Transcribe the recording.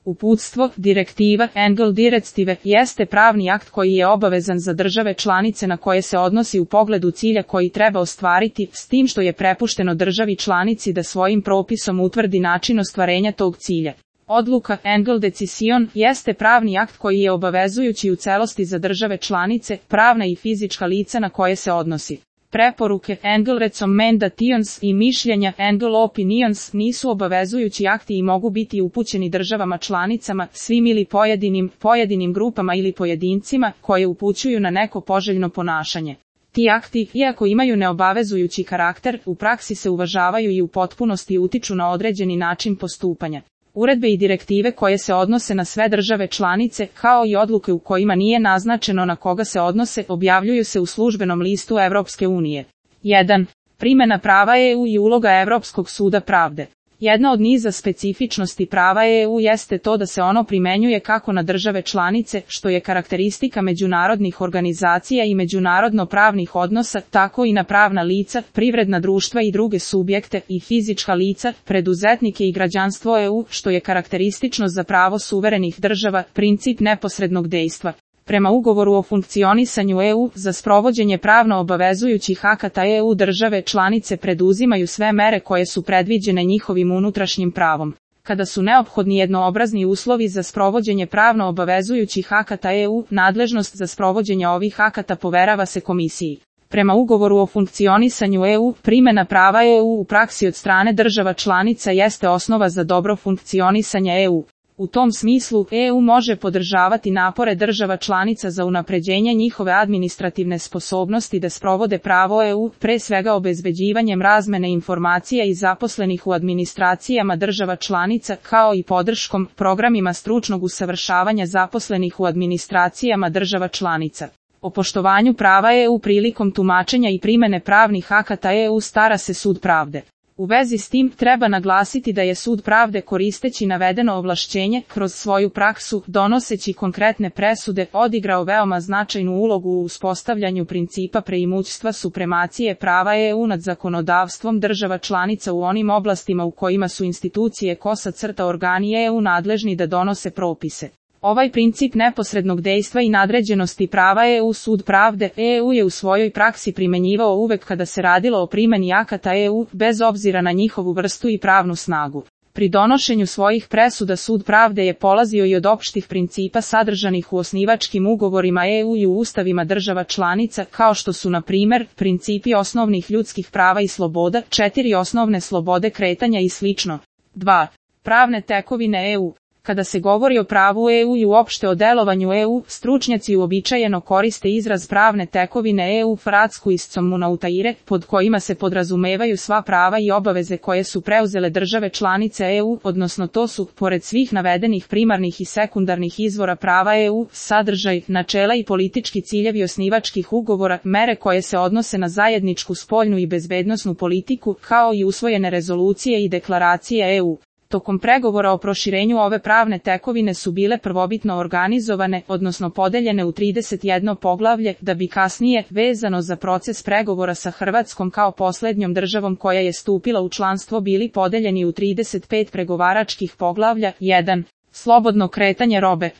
Uputstvo, direktiva, Engel Directive, jeste pravni akt koji je obavezan za države članice na koje se odnosi u pogledu cilja koji treba ostvariti, s tim što je prepušteno državi članici da svojim propisom utvrdi način ostvarenja tog cilja. Odluka, Engel Decision, jeste pravni akt koji je obavezujući u celosti za države članice, pravna i fizička lica na koje se odnosi. Preporuke, Engel Recommendations i mišljenja, Engel Opinions, nisu obavezujući akti i mogu biti upućeni državama članicama, svim ili pojedinim grupama ili pojedincima, koje upućuju na neko poželjno ponašanje. Ti akti, iako imaju neobavezujući karakter, u praksi se uvažavaju i u potpunosti utiču na određeni način postupanja. Uredbe i direktive koje se odnose na sve države članice, kao i odluke u kojima nije naznačeno na koga se odnose, objavljuju se u službenom listu Evropske unije. 1. Primjena prava EU i uloga Evropskog suda pravde. Jedna od niza specifičnosti prava EU jeste to da se ono primenjuje kako na države članice, što je karakteristika međunarodnih organizacija i međunarodno-pravnih odnosa, tako i na pravna lica, privredna društva i druge subjekte i fizička lica, preduzetnike i građanstvo EU, što je karakteristično za pravo suverenih država, princip neposrednog dejstva. Prema ugovoru o funkcionisanju EU, za sprovođenje pravno obavezujućih akata EU države članice preduzimaju sve mere koje su predviđene njihovim unutrašnjim pravom. Kada su neophodni jednoobrazni uslovi za sprovođenje pravno obavezujućih akata EU, nadležnost za sprovođenje ovih akata poverava se komisiji. Prema ugovoru o funkcionisanju EU, primjena prava EU u praksi od strane država članica jeste osnova za dobro funkcionisanje EU. U tom smislu, EU može podržavati napore država članica za unapređenje njihove administrativne sposobnosti da sprovode pravo EU, pre svega obezbeđivanjem razmene informacija i zaposlenih u administracijama država članica, kao i podrškom programima stručnog usavršavanja zaposlenih u administracijama država članica. O poštovanju prava EU prilikom tumačenja i primjene pravnih akata EU stara se Sud pravde. U vezi s tim treba naglasiti da je Sud pravde koristeći navedeno ovlašćenje, kroz svoju praksu, donoseći konkretne presude, odigrao veoma značajnu ulogu u uspostavljanju principa preimućstva supremacije prava EU nad zakonodavstvom država članica u onim oblastima u kojima su institucije organi EU nadležni da donose propise. Ovaj princip neposrednog dejstva i nadređenosti prava EU Sud pravde EU je u svojoj praksi primjenjivao uvek kada se radilo o primjeni akata EU, bez obzira na njihovu vrstu i pravnu snagu. Pri donošenju svojih presuda Sud pravde je polazio i od opštih principa sadržanih u osnivačkim ugovorima EU i u ustavima država članica, kao što su na primjer principi osnovnih ljudskih prava i sloboda, 4 osnovne slobode kretanja i sl. 2. Pravne tekovine EU. Kada se govori o pravu EU i uopšte o delovanju EU, stručnjaci uobičajeno koriste izraz pravne tekovine EU Vertragsgesetzgebung, pod kojima se podrazumevaju sva prava i obaveze koje su preuzele države članice EU, odnosno to su, pored svih navedenih primarnih i sekundarnih izvora prava EU, sadržaj, načela i politički ciljevi osnivačkih ugovora, mere koje se odnose na zajedničku spoljnu i bezbednosnu politiku, kao i usvojene rezolucije i deklaracije EU. Tokom pregovora o proširenju ove pravne tekovine su bile prvobitno organizovane, odnosno podeljene u 31 poglavlje, da bi kasnije, vezano za proces pregovora sa Hrvatskom kao posljednjom državom koja je stupila u članstvo, bili podeljeni u 35 pregovaračkih poglavlja. 1. Slobodno kretanje robe.